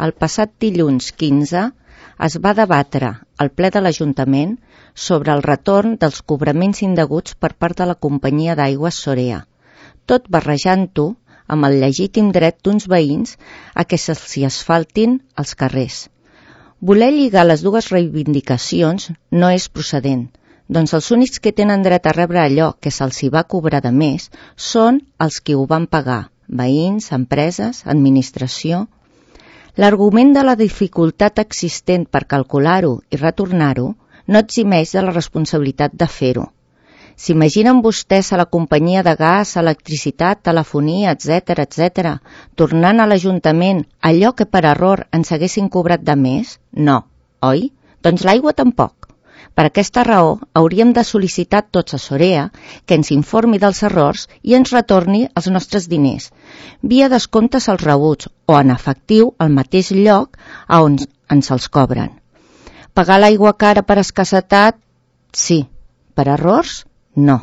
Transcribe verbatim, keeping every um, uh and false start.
el passat dilluns quinze es va debatre al ple de l'Ajuntament sobre el retorn dels cobraments indeguts per part de la companyia d'aigües Sorea, tot barrejant-ho amb el legítim dret d'uns veïns a que se'ls hi asfaltin els carrers. Voler lligar les dues reivindicacions no és procedent, doncs els únics que tenen dret a rebre allò que se'ls hi va cobrar de més són els qui ho van pagar, veïns, empreses, administració. L'argument de la dificultat existent per calcular-ho i retornar-ho no eximeix de la responsabilitat de fer-ho. S'imaginen vostès a la companyia de gas, electricitat, telefonia, etcètera, etcètera, tornant a l'Ajuntament allò que per error ens haguessin cobrat de més? No, oi? Doncs l'aigua tampoc. Per aquesta raó, hauríem de sol·licitar tots a Sorea que ens informi dels errors i ens retorni els nostres diners, via descomptes als rebuts o en efectiu al mateix lloc a on ens els cobren. Pagar l'aigua cara per escassetat? Sí. Per errors? No.